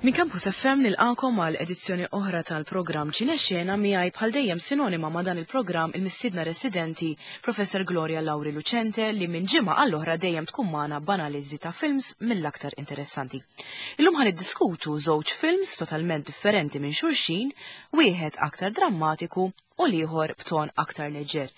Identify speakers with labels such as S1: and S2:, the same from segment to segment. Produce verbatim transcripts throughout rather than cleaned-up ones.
S1: Minn Campus F M nilqakom għal edizzjoni oħra tal-programm Ċinexxena. Miegħi, bħal dejjem sinonima ma' dan il-programm, il-mistiedna residenti Professor Gloria Lauri Lucente, li minn ġimgħa għall-oħra dejjem tkun magħna b'analiżi ta' films mill-aktar interessanti. Illum ħan niddiskutu żewġ films totalment differenti minn xulxin, wieħed aktar drammatiku u l-ieħor b'ton aktar leġer.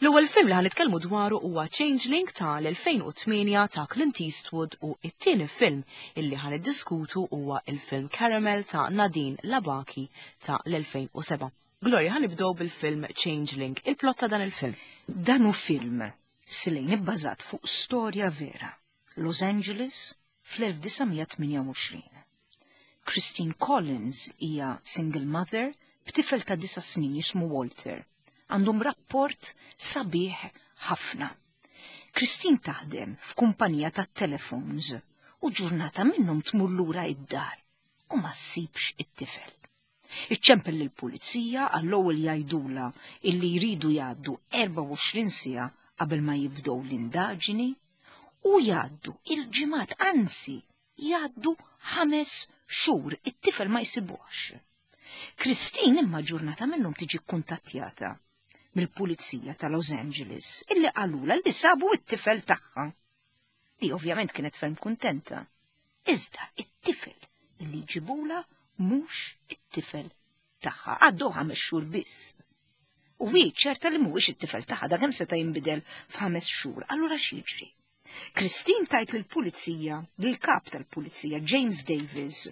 S1: L-ewwel film li ħan nitkellmu dwaru huwa Changeling ta' l-elfejn u tmienja ta' Clint Eastwood u it-tieni film illi ħan niddiskutu huwa il-film Caramel ta' Nadine Labaki ta' l-elfejn u sebgħa. Gloria, ħan nibdew bil-film Changeling, il-plot ta' dan il-film.
S2: Dan hu film silejn ibbażat fuq storja vera. Los Angeles fl-elf disa' mija tmienja u għoxrin. Christine Collins hija single mother b'tifel ta' disa' snin jismu Walter. Għandhom rapport sabiħ ħafna. Christine taħdem f'kumpanija ta' telefons u ġurnata minnhom tmur lura id-dar u ma ssibx it-tifel. Iċċempel lill-pulizija, għall-ewwel jgħidula illi jridu jgħaddu erbgħa u għoxrin siegħa qabel ma jibdew l-indaġini u jgħaddu il-ġimgħat, anzi jgħaddu ħames xhur, it-tifel ma jsibuhx. Christine imma ġurnata minnhom tiġi kuntattjata mill-pulizija ta' Los Angeles illi qalula li sabu it-tifel tagħha. Di ovvjament kienet ferm kuntenta. Iżda it-tifel illi ġibula mhux it-tifel tagħha. Għaddu ħames xhur biss. U hi ċerta li mhuwiex it-tifel tagħha, da kemm seta' jinbidel f'ħames xhur. Allura x'jiġri? Christine tgħid lill-pulizija, lill-kap tal-pulizija James Davis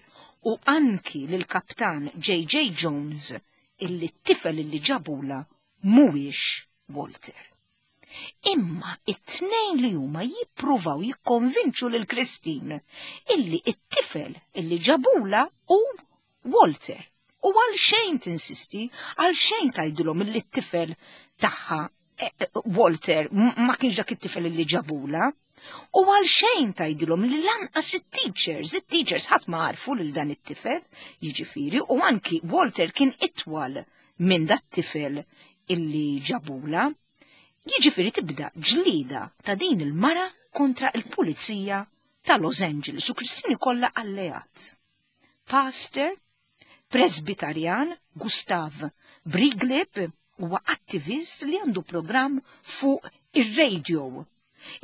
S2: u anki lill-kaptan J J. Jones illi t-tifel illi ġabula mhuwiex Walter. Imma it-tnejn li huma jippruvaw jikkonvinċu lil Christine illi it-tifel illi ġabula hu Walter. U għal xejn tinsisti, għal xejn tgħidilhom illi t-tifel tagħha eh, eh, Walter ma kienx dak it-tifel illi ġabula. U għal xejn tgħidilhom li lanqas it-teachers, it-teachers ħadd ma għarfu lil dan it-tifel, jiġifieri, u anki Walter kien itwal minn dat tifel illi ġabula. Jiġifieri tibda ġlida ta' din il-mara kontra il-pulizija ta' Los Angeles u Christine ikollha alleat. Pastor, Presbitarjan, Gustav Briegleb huwa attivist li għandu program fuq ir-radio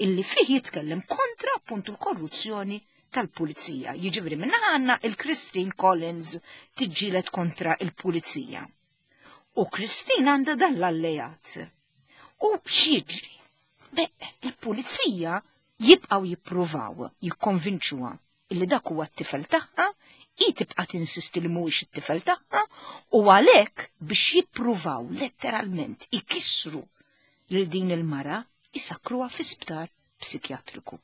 S2: illi fih jitkellem kontra appuntu l-korruzzjoni tal-pulizija. Jiġifieri minna għandna il-Christine Collins tiġġieled kontra il-pulizija. U Christine għandha dan l-alleat. U x'jiġri? Be, il-pulizija jibqaw jippruvaw jikkonvinċuha illi dak huwa t-tifel tagħha, hi tibqa' tinsisti li mhuwiex it-tifel tagħha u għalhekk biex jippruvaw letteralment ikissru lil din il-mara isakruha fi sptar psikjatriku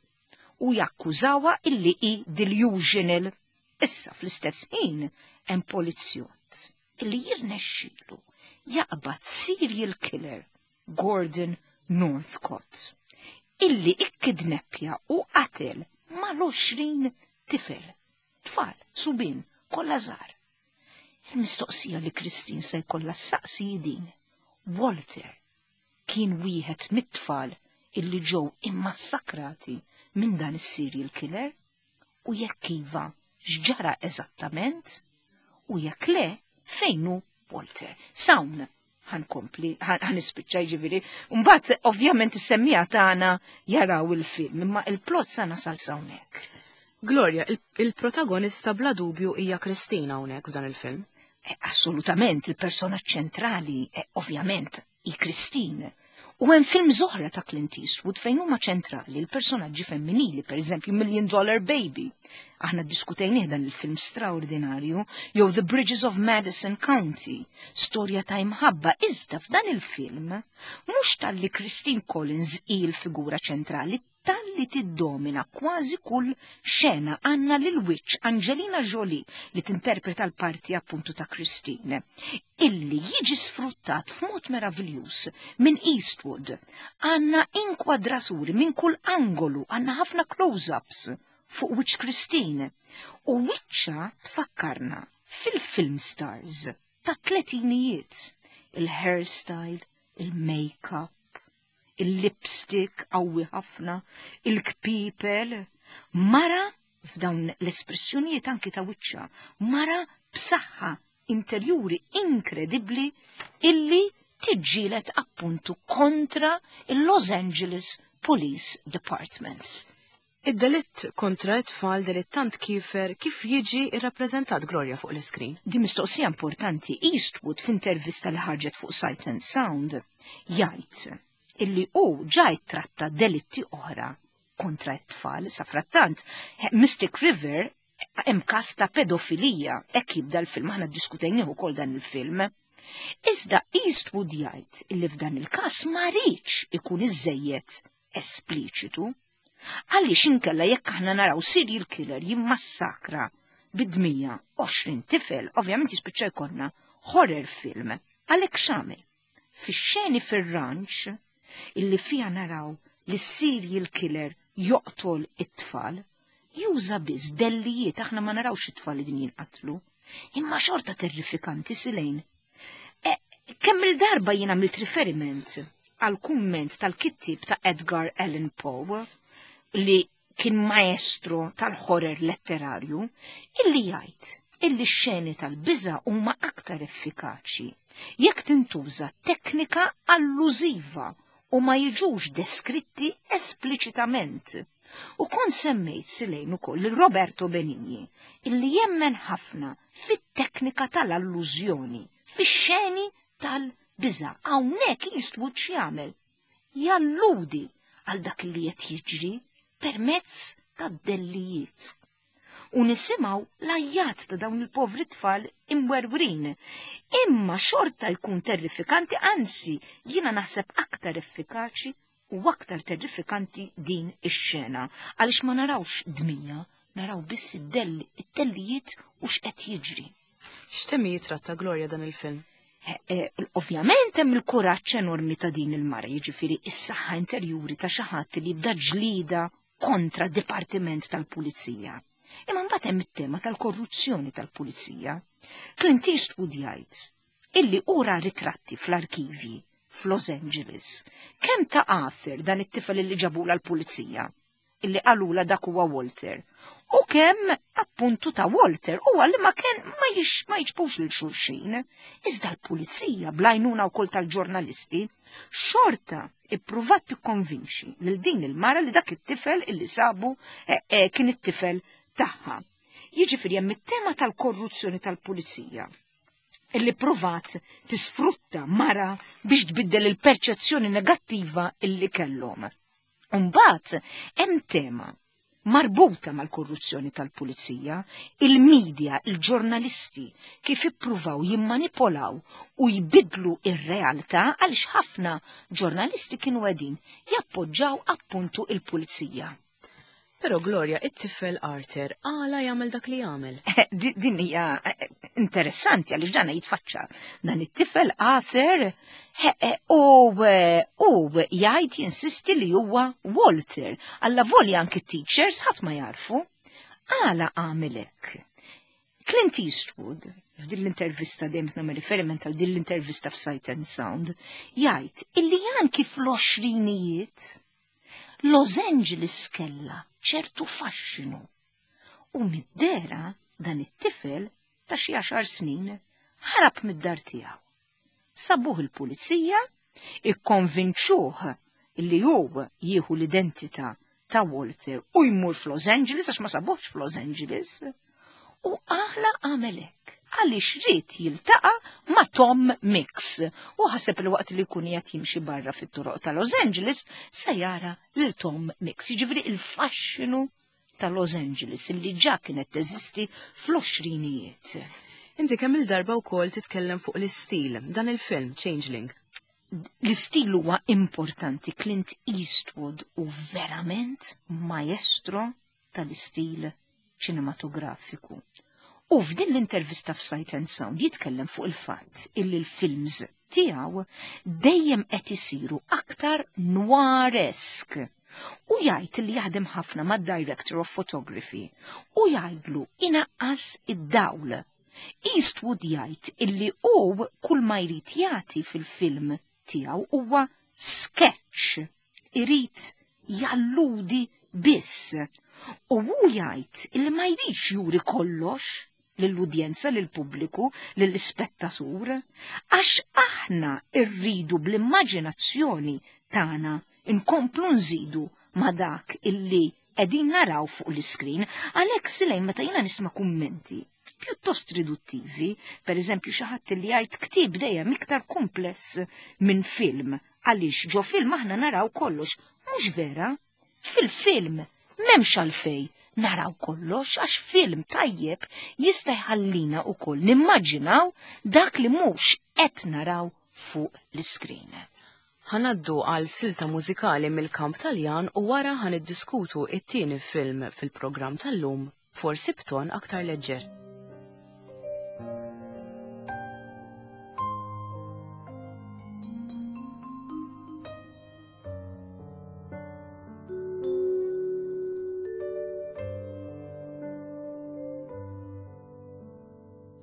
S2: u jakkużawha illi hi delusional. Issa fl-istess ħin hemm polizzjott illi jirnexxielu jaqbad serial killer Gordon Northcott illi ikkidneppja u qatel mal-għoxrin tifel, tfal, subien, kollha żgħar. Il-mistoqsija li Christine se jkollha ssaqsi din: Walter kien wieħed mit-tfal illi ġew immassakrati minn dan is-serial killer? U jekk iva, x'ġara eżattament? U jekk le, fejn hu Walter? S'hawn ħa nkompli, ħa nispiċċa ġifieri. Mbagħad ovvjament is-semmiegħa tagħna jaraw il-film, imma il-plot sa nasal s'hawnhekk.
S1: Gloria, il-protagonista bla dubju hija Kristina hawnhekk f'dan il-film.
S2: Eh, assolutament, il-persona ċentrali, eh, ovvjament, hi Christine. U hemm films oħra ta' Clint Eastwood fejn huma ċentrali l-personaġġi femminili, per eżempju Million Dollar Baby. Aħna diskutejnih dan il-film straordinarju, jew The Bridges of Madison County, storja ta' imħabba. Iżda f'dan il-film mhux talli Christine Collins hi l-figura ċentrali, talli tiddomina kważi kull xena għandna lil wiċċ Angelina Jolie li tinterpreta l-parti appuntu ta' Christine, illi jiġi sfruttat f'mod meraviljuż minn Eastwood. Għandna inkwadraturi minn kull angolu, għandna ħafna close-ups fuq wiċċ Christine. U wiċċha tfakkarna fil-film stars ta' tletinijiet. Il-hairstyle, il-make-up, il-lipstick qawwi ħafna, il-kpipel, mara f'dawn l-espressjonijiet anki ta' wiċċha, mara b'saħħa interjuri inkredibbli illi tiġġieled appuntu kontra il-Los Angeles Police Department.
S1: Id-delitt kontra it-tfal, delitt tant kiefer, kif jiġi irrappreżentat, Gloria, fuq l-iskrin?
S2: Di mistoqsija importanti. Eastwood, f'intervista li ħarġet fuq Sight and Sound, jgħid illi hu ġa tratta delitti oħra kontra t-tfal. Safrattant, Mystic River, hemm każ ta' pedofilija, hekk jibda l-film, aħna ddiskutejnieh ukoll dan il-film. Iżda Eastwood jgħid illi f'dan il-każ ma riedx ikun iżejjed espliċitu. Għaliex inkella jekk aħna naraw serial killer jimmassakra bid-dmija għoxrin tifel, ovvjament jispiċċa jkollna horror film. Għalhekk x'għamel? Fix-xeni fir-ranch illi fija naraw li serial killer joqtol it-tfal, juża biss dellijiet, aħna ma narawx it-tfal li din jinqatlu. Imma xorta terrifikanti, Silejn. E, kemm il-darba jien għamilt riferiment għal kumment tal-kittib ta' Edgar Allan Poe, li kien maestro tal-horror letterarju, illi jgħid illi x-xeni tal-biża huma aktar effikaċi jekk tintuża teknika allużiva u ma jiġux deskritti espliċitament. U kont semmejt, Silejn, ukoll lil Roberto Benigni, illi jemmen ħafna fit-teknika tal-allużjoni, fix-xeni tal-biża. Hawnhekk Eastwood x'jagħmel? Jalludi għal dak li qed jiġri permezz tad-dellijiet. U nisimgħu l-għajjat ta' dawn il-povri tfal imwerwrin. Imma xorta jkun terrifikanti, anzi, jiena naħseb aktar effikaċi u aktar terrifikanti din ix-xena, għaliex ma narawx dmija, naraw biss id-delli, id-dellijiet u x'qed jiġri.
S1: X'temi jitratta, Gloria, dan il-film?
S2: Eh, eh, ovvjament hemm il-kuraġġ enormi ta' din il-mara, jiġifieri is-saħħa interjuri ta' xi ħadd li jibda ġlida kontra dipartiment tal-pulizija. Imma mbagħad hemm it-tema tal-korruzzjoni tal-pulizija. Clint Eastwood jgħid illi ura ritratti fl-arkivji f'Los Angeles. Kemm ta' Arthur, dan it-tifel illi ġabula l-pulizija, illi qalula dak huwa Walter, u kemm appuntu ta' Walter, u li ma kien ma jix ma jiġbux lil xulxin. Iżda l-pulizija, bl-għajnuna wkoll tal-ġurnalisti, xorta ippruvat tikkonvinċi lil din il-mara li dak it-tifel illi sabu eh, eh, kien it-tifel tagħha. Jiġifieri hemm it-tema tal-korruzzjoni tal-pulizija illi provat tisfrutta mara biex tbiddel il-perċezzjoni negattiva illi kellhom. Umbagħad hemm tema marbuta mal-korruzzjoni tal-pulizija, il-medja, il-ġurnalisti, kif ippruvaw jimmanipolaw u jbidlu ir-realtà, għaliex ħafna ġurnalisti kienu qegħdin jappoġġaw appuntu il-pulizija.
S1: Però Gloria, it-tifel Arthur għala jagħmel dak li jagħmel?
S2: Din hija eh, interessanti għaliex dana jitfaċċa. Dan it-tifel Arthur eh, u u jgħid, jinsisti li huwa Walter. Alla volja anki teachers ħadd ma jarfu. Għala għamel hekk? Clint Eastwood, f'din l-intervista, dejjem nagħmel riferiment għal din l-intervista f'Sight and Sound, jgħid illi anki fl-għoxrinijiet Los Angeles kella ċertu faxxinu. U mid-dera dan it-tifel ta' xi għaxar snin ħarab mid-dar tiegħu. Sabuh il-pulizija, ikkonvinċuh li hu jieħu l-identità ta' Walter u jmur f'Los Angeles, għax ma sabuhx f'Los Angeles. U għala għamel hekk? Għaliex ried jiltaqa' ma' Tom Mix u ħaseb il waqt li jkun qed jimxi barra fit-toroq ta' Los Angeles se jara lil Tom Mix. Jiġifieri il-faxxinu ta' Los Angeles li ġa kienet teżisti fl-għoxrinijiet.
S1: Inti kemm il-darba wkoll titkellem fuq l-istil, dan il-film Changeling.
S2: L-istil huwa importanti. Clint Eastwood u verament maestro tal-istil ċinematografiku. U f'din l-intervista f'Sight and Sound jitkellem fuq il-fatt illi l-films tiegħu dejjem qed isiru aktar noiresk. U jgħid li jaħdem ħafna mad-director of photography u jgħidlu inaqqas id-dawl. Eastwood jgħid illi hu kull ma jrid jagħti fil-film tiegħu huwa sketch. Irid jalludi biss. U hu jgħid illi ma jridx juri kollox lill-udjenza, lill-pubbliku, lill-ispettatur, għax aħna rridu bl-immaġinazzjoni tagħna nkomplu nżidu ma dak illi qegħdin naraw fuq l-iskrin. Għalhekk, Silejn, meta jiena nisma' kummenti pjuttost riduttivi, per eżempju xi ħadd li jgħid ktieb dejjem iktar kumpless minn film, għaliex ġo film aħna naraw kollox. Mhux vera. Fil-film m'hemmx għalfej naraw kollox, għax film tajjeb jista' jħallina wkoll nimmaġinaw dak li mhux qed naraw fuq l-iskrin.
S1: Ħa ngħaddu għal silta mużikali mill-kamp Taljan u wara ħa niddiskutu it-tieni film fil-programm tal-lum, forsi b'ton aktar leġġer.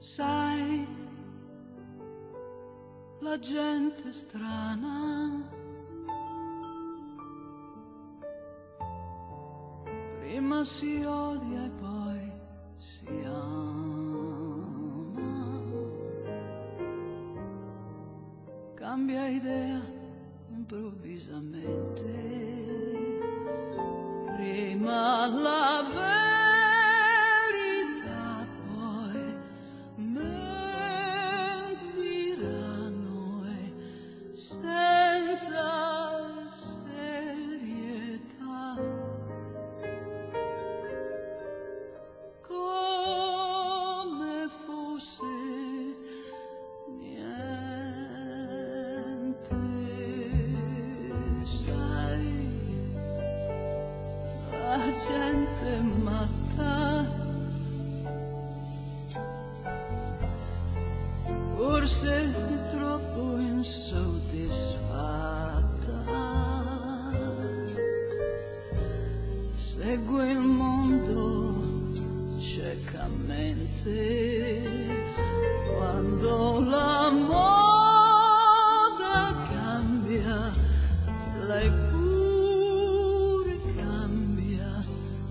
S3: Sai, la gente strana prima si odia e poi si ama, cambia idea improvvisamente, prima la verità poi mentiranno e senza serietà, come fosse niente. Sai, la gente matta, forse troppo insoddisfatta, segue il mondo ciecamente quando la moda cambia, lei pure cambia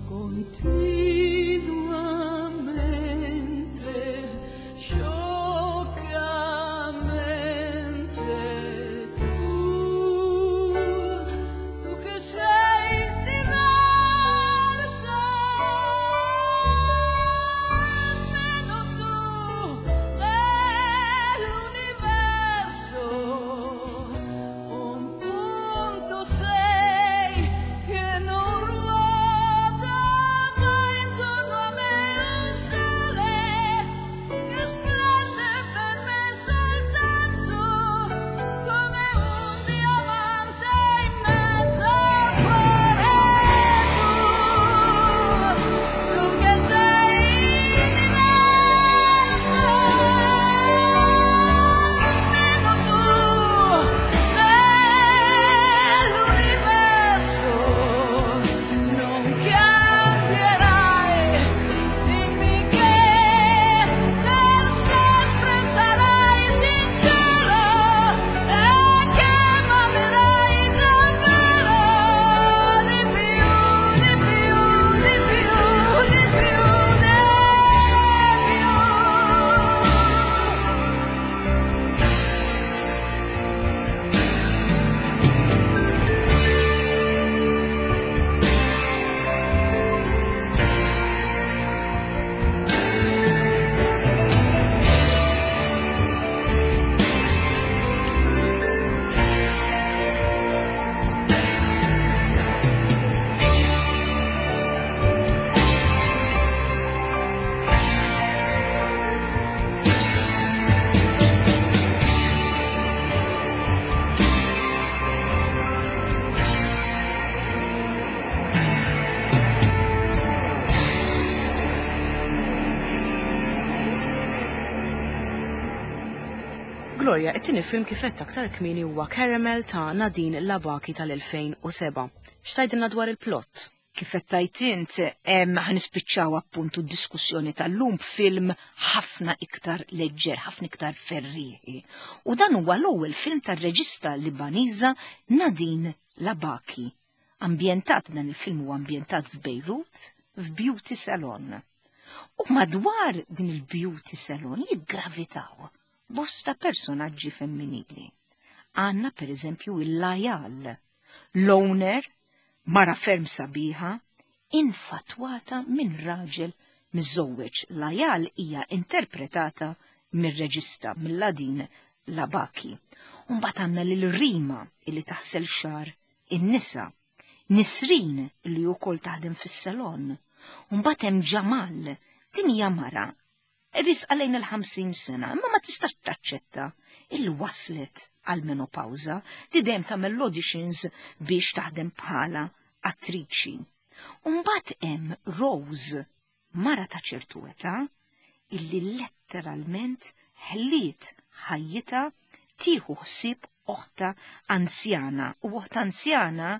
S3: continuamente, scioccamente. Tu, tu che sei diversa, almeno tu nell'universo un punto sei che non ruota, ma intorno a me un sole che splende per me soltanto come un diamante in mezzo al cuore. Tu, tu che sei diversa, almeno tu nell'universo non cambierai. Dimmi che per sempre sarai sincero e che m'amerai davvero di più, di più, di più, di più, di più.
S1: Gloria, it-tieni film kif għedt aktar kmieni huwa Caramel ta' Nadine Labaki tal-elfejn u seba'. X'tgħidilna dwar il-plot?
S2: Kif qed tgħid int, em, ħa nispiċċaw appuntu d-diskussjoni tal-lum b'film ħafna iktar leġġer, ħafna iktar ferrieħi. U dan huwa l-ewwel film tar-reġista Libaniża Nadine Labaki. Ambjentat, dan il-film huwa ambjentat f'Bejrut, f'beauty salon. U madwar din il-beauty salon jiggravitaw bosta personaġġi femminili. Għandna per eżempju il-Lajal, l-owner, mara ferm sabiħa, infatwata minn raġel miżżewweġ. Lajal hija interpretata mir-reġista mill-Nadine Labaki. Mbagħad għandna lil Rima illi taħsel xagħar in-nisa, Nisrin li wkoll taħdem fis-salon. Mbagħad hemm Ġamal, din hija mara riesqa lejn il-ħamsin sena, imma ma tistax taċċetta illi waslet għal menopawza, di dejjem tagħmel auditions biex taħdem bħala attriċi. Mbagħad hemm Rose, mara ta' ċertu età, illi letteralment ħliet ħajjitha tieħu ħsieb oħtha anzjana, u oħtha anzjana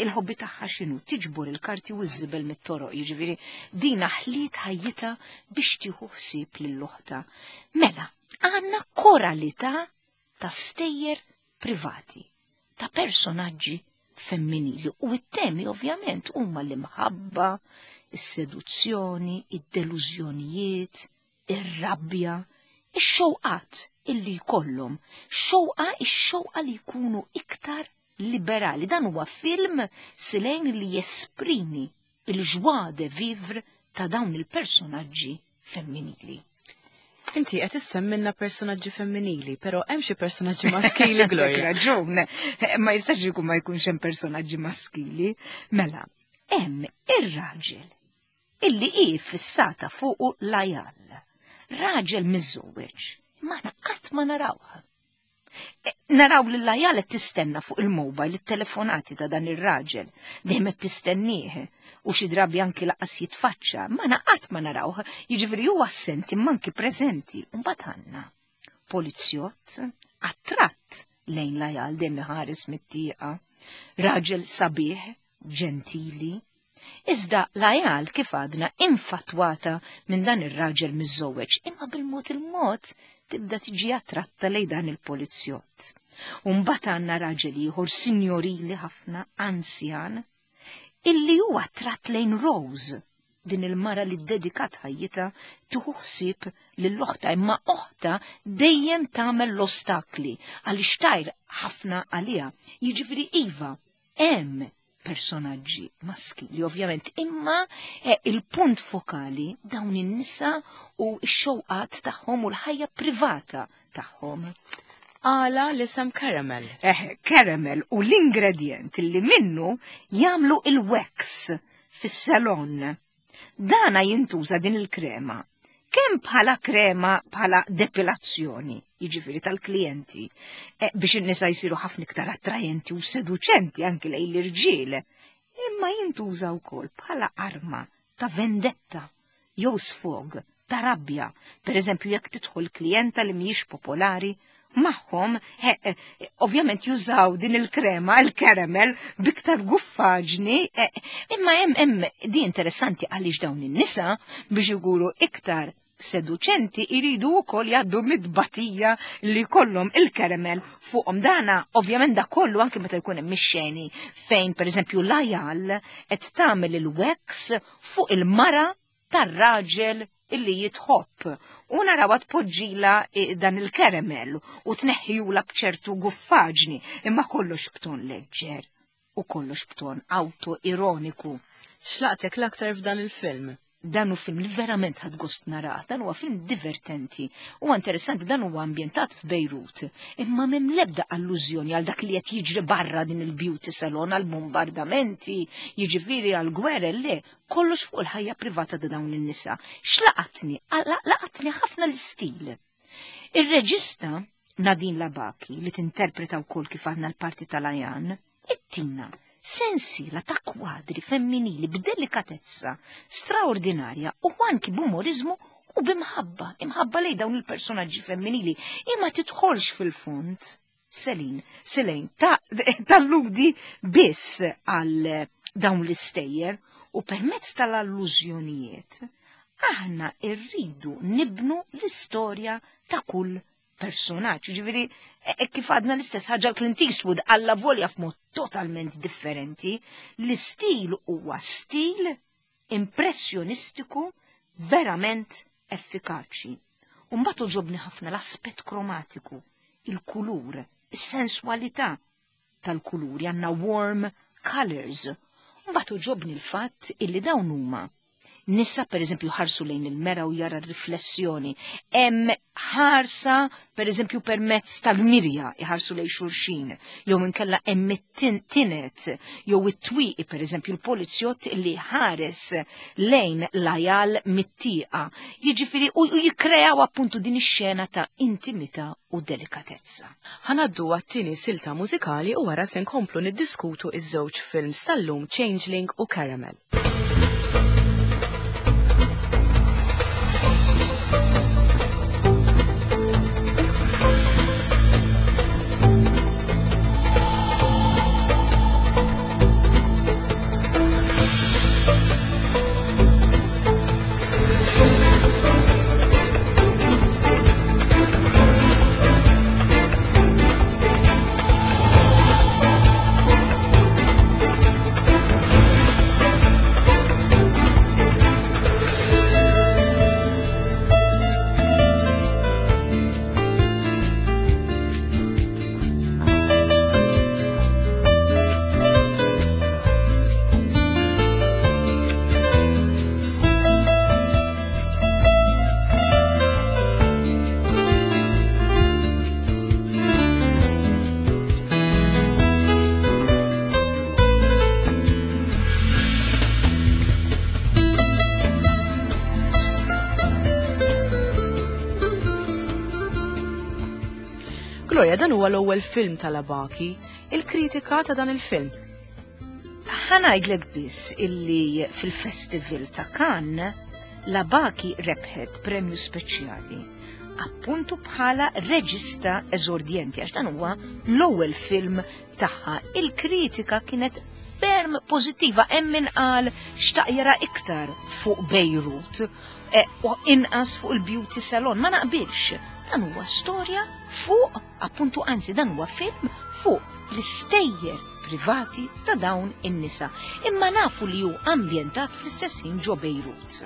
S2: il-hobby tagħha x'inhu? Tiġbor il-karti u ż-żibel mit-toroq, jiġifieri dina ħliet ħajjitha biex tieħu ħsieb lil oħtha. Mela, għandna koralità ta' stejjer privati, ta' personaġġi femminili, u it-temi ovvjament huma l-imħabba, is-seduzzjoni, id-delużjonijiet, ir-rabja, ix-xewqat illi jkollhom, xewqa ix-xewqa li jkunu iktar liberali. Dan huwa film silejn li jesprimi il-joie de vivre ta' dawn il-personaġġi femminili.
S1: Inti qed issemmilna personaġġi femminili, però hemm xi personaġġi maskili, Gloria?
S2: Raġun, ma jistax ikun ma jkunx hemm personaġġi maskili. Mela, hemm ir-raġel illi hi fissata fuqu Lajal. Raġel miżżewweġ, ma qatt ma narawha. E, naraw li Lajal qed tistenna fuq il-mobile it-telefonati ta' dan ir-raġel, dejjem qed tistennieh u xi drabi anki lanqas jitfaċċa, ma qatt ma narawh, jiġifieri huwa assenti imma anki preżenti. Mbagħad għandna polizzjott attratt lejn Lajal, dejjem iħares mit-tieqa, raġel sabiħ, ġentili. Iżda Lajal, kif għadna, infatwata minn dan ir-raġel miżżewweġ, imma bil-mod il-mod tibda tiġi attratta lejn dan il-polizzjott. Mbagħad għandna raġel ieħor signorili ħafna, anzjan, illi huwa attratt lejn Rose, din il-mara li dedikat ħajjitha tieħu ħsieb lil oħtha, imma oħtha dejjem tagħmel l-ostakli għaliex tgħir ħafna għaliha. Jiġifieri iva, hemm personaġġi maskili ovvjament, imma eh, il-punt fokali dawn in-nisa u x-xewqat tagħhom u l-ħajja privata tagħhom.
S1: Għala l-isem Caramel?
S2: Eh, caramel u l-ingredient li minnu jagħmlu il-wax fis-salon. Dana jintuża din il-krema kemm bħala krema bħala depilazzjoni, jiġifieri tal-klijenti, eh, biex in-nisa jsiru ħafna iktar attrajenti u seduċenti anki lejn l-irġiel, imma jintuża wkoll bħala arma ta' vendetta jew sfog ta' rabbja. Per eżempju, jekk tidħol klijenta li mhijiex popolari magħhom, eh, eh, ovvjament jużaw din il-krema, il-caramel, biktar guffaġni, eh, imma hemm hemm di interessanti għaliex dawn in-nisa biex jkunu iktar seduċenti iridu wkoll jgħaddu mid-batija li kollhom il-caramel fuqhom. Dana ovvjament da kollu anke meta jkun hemm ix-xeni fejn pereżempju Lajal qed tagħmel il-wax fuq il-mara tar-raġel illi jitħobb u narawha tpoġġila dan il-caramel u tneħħijula bċertu guffaġni, imma kollox b'ton leġġer u kollox b'ton auto-ironiku.
S1: X'laqtek l-aktar f'dan il-film?
S2: Dan hu film li verament ħadt gost narah, dan huwa film divertenti. Huwa interessanti, dan huwa ambjentat f'Bejrut, imma m'hemm l-ebda allużjoni għal dak li qed jiġri barra din il-beauty salon, għal bombardamenti, jiġifieri għal gwerra, le, kollox fuq il-ħajja privata ta' dawn in-nisa. X'laqatni? Laqatni ħafna l-istil. Ir-reġista Nadine Labaki, li tinterpreta wkoll kif għandna l-parti tal-Ajan, ittina sensiela ta' kwadri femminili b'delikatezza straordinarja u anki b'umorizmu u b'imħabba, imħabba lejn dawn il-personaġġi femminili, imma tidħolx fil-fond. Selin, Selin, talludi biss għal dawn l-istejjer u permezz tal-allużjonijiet aħna irridu nibnu l-istorja ta' kull personaġġ. Ġifieri, e, kif għadna l-istess ħaġa Clint Eastwood għalla volja f'mod totalment differenti, l-istil huwa stil impressjonistiku verament effikaċi. U mbagħad għoġobni ħafna l-aspett kromatiku, il-kulur, is-sensualità tal-kuluri, għandna warm colors. Mbagħad għoġobni l-fatt illi dawn huma nisa, per eżempju, ħarsu lejn il-mera u jara riflessjoni. Hemm ħarsa, per eżempju, permezz tal-mirja iħarsu lejn xulxin, jew inkella hemm it-tinet, jew it-twieqi, per eżempju, l-polizjott li ħares lejn Layal mit-tieqa. Jiġifieri u jikkreaw appuntu din ix-xena ta' intimità u delikatezza.
S1: Ħa ngħaddu għat-tieni silta mużikali u wara se nkomplu niddiskutu iż-żewġ films tal-lum, Changeling u Caramel. Gloria, dan huwa l-ewwel film tal-Labaki, il-kritika ta' dan il-film.
S2: Ħa ngħidlek biss illi fil-Festival ta' Cannes, Labaki rebħet premju speċjali, appuntu bħala reġista eżordjenti, għax dan huwa l-ewwel film tagħha. Il-kritika kienet ferm pożittiva, hemm min qal xtaq jara iktar fuq Beirut e, u inqas fuq il-beauty salon. Ma naqbilx, dan huwa storja fuq, appuntu, anzi dan huwa film fuq l-istejjer privati ta' dawn in-nisa. Imma nafu li hu ambjentat fl-istess ħin ġo Beirut.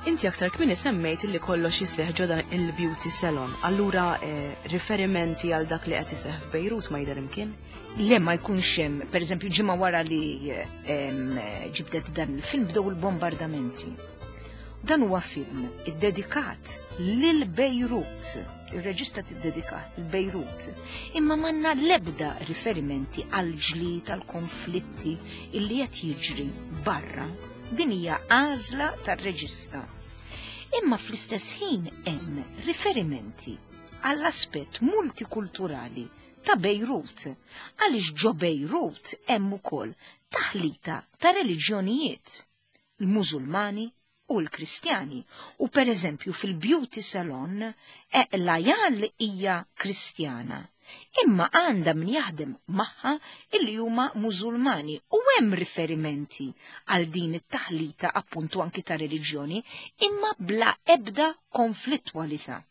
S1: Inti aktar kmieni semmejt li kollox iseħħ ġo dan il-beauty salon. Allura eh, riferimenti għal dak li qed iseħħ f'Bejrut ma jidher imkien?
S2: Le, ma jkunx hemm. Per eżempju, ġimgħa wara li em, ġibdet dan il-film bdew il-bombardamenti. Dan huwa film iddedikat lil Bejrut. Il-reġista tiddedikat lil Bejrut. Imma m'għandna l-ebda riferimenti għal ġlied, għal konflitti illi qed jiġri barra. Din hija għażla tar-reġista. Imma fl-istess ħin hemm riferimenti għall-aspett multikulturali ta' Bejrut, għaliex ġo Bejrut hemm ukoll taħlita ta' reliġjonijiet, il-Musulmani u l-Kristjani. U per eżempju fil-beauty salon e, Layal hija Kristjana, imma għandha min jaħdem magħha illi huma Musulmani, u hemm riferimenti għal din it-taħlita appuntu anki ta' reliġjoni, imma bla ebda konflittwalità.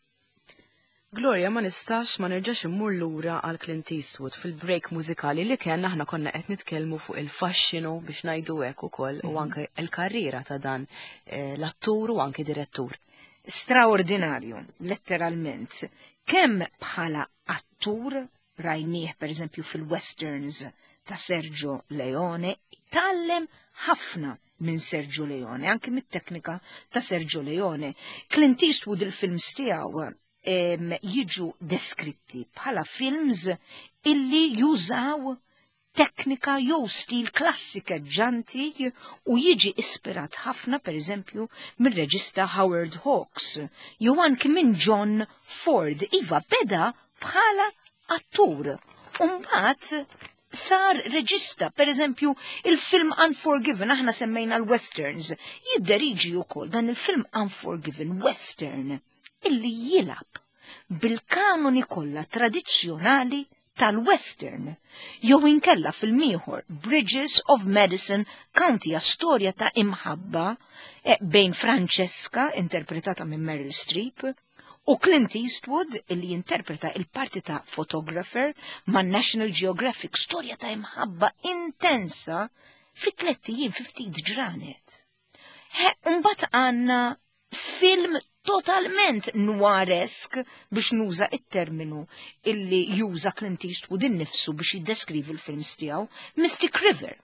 S1: Gloria, ma nistax ma nerġax immur lura għal Clint Eastwood. Fil-break mużikali li kellna aħna konna qed nitkellmu fuq il-faxxinu, biex ngħidu hekk ukoll, u anke l-karriera ta' dan eh, l-attur u anke direttur.
S2: Straordinarju, letteralment. Kemm bħala attur rajnieh per eżempju fil-westerns ta' Sergio Leone, tgħallem ħafna minn Sergio Leone, anke mit-teknika ta' Sergio Leone. Clint Eastwood, il-films tiegħu em, jiġu deskritti bħala films illi jużaw teknika jew stil klassikeġġanti u jiġi ispirat ħafna, per eżempju, mir-reġista Howard Hawks jew anki minn John Ford. Iva, beda bħala attur. Umbagħad sar reġista. Per eżempju, il-film Unforgiven, aħna semmejna l-westerns, jidderiġi wkoll dan il-film Unforgiven, western, illi jilgħab bil-kanoni kollha tradizzjonali tal-western. Jew inkella film ieħor Bridges of Madison County, storja ta' imħabba eh, bejn Francesca, interpretata minn Meryl Streep, u Clint Eastwood, illi jinterpreta il-parti ta' photographer ma' National Geographic, storja ta' imħabba intensa fi tlett ijiem, fi ftit ġranet. Mbagħad għandna film totalment noiresk, biex nuża it-terminu illi juża Clint Eastwood innifsu biex jiddeskrivi l-films tiegħu, Mystic River.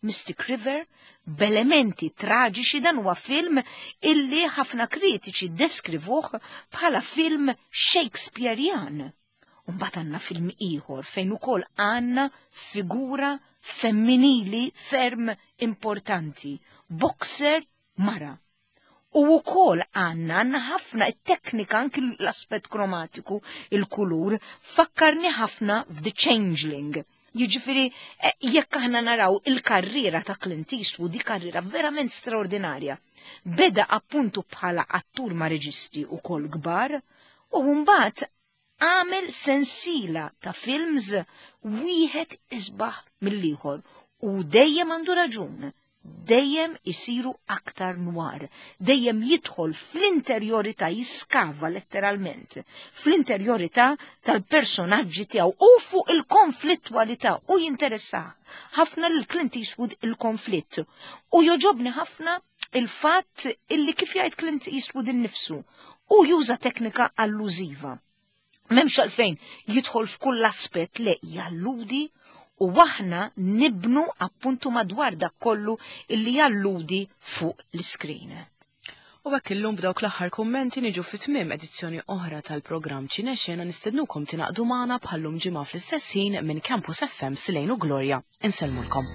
S2: Mystic River b'elementi traġiċi. Dan huwa film illi ħafna kritiċi deskrivuh bħala film Shakespearean. Mbagħad għandna film ieħor fejn ukoll għandna figura femminili ferm importanti, boxer mara. U wkoll għandna għandna ħafna it-teknika, anki l-aspett kromatiku, il-kulur, fakkarni ħafna f'The Changeling. Jiġifieri, eh, jekk aħna naraw il-karriera ta' Clint Eastwood, di karriera verament straordinarja. Beda appuntu bħala attur ma' reġisti u kol kbar, u mbagħad għamel sensila ta' films wieħed isbaħ mill-ieħor u dejjem għandu raġun, dejjem isiru aktar noir, dejjem jidħol fl-interjorità, jiskava letteralment fl-interjorità tal-personaġġi tiegħu u fuq il-konflittwalità, u jinteressa ħafna lil Clint Eastwood il-konflitt. U joġobni ħafna il-fatt illi, kif jgħid Clint Eastwood innifsu, u juża teknika allużiva. M'hemmx għalfejn jidħol f'kull aspett, le, jalludi u aħna nibnu appuntu madwar dak kollu illi jalludi fuq l-iskrin.
S1: U hekk illum, b'dawk l-aħħar kummenti, niġu fi tmiem edizzjoni oħra tal-programm Ċinexena. Nistednukom tingħaqdu magħna bħallum ġimgħa fl-istess ħin. Minn Campus F M, Silejn u Gloria. Insellmulkom.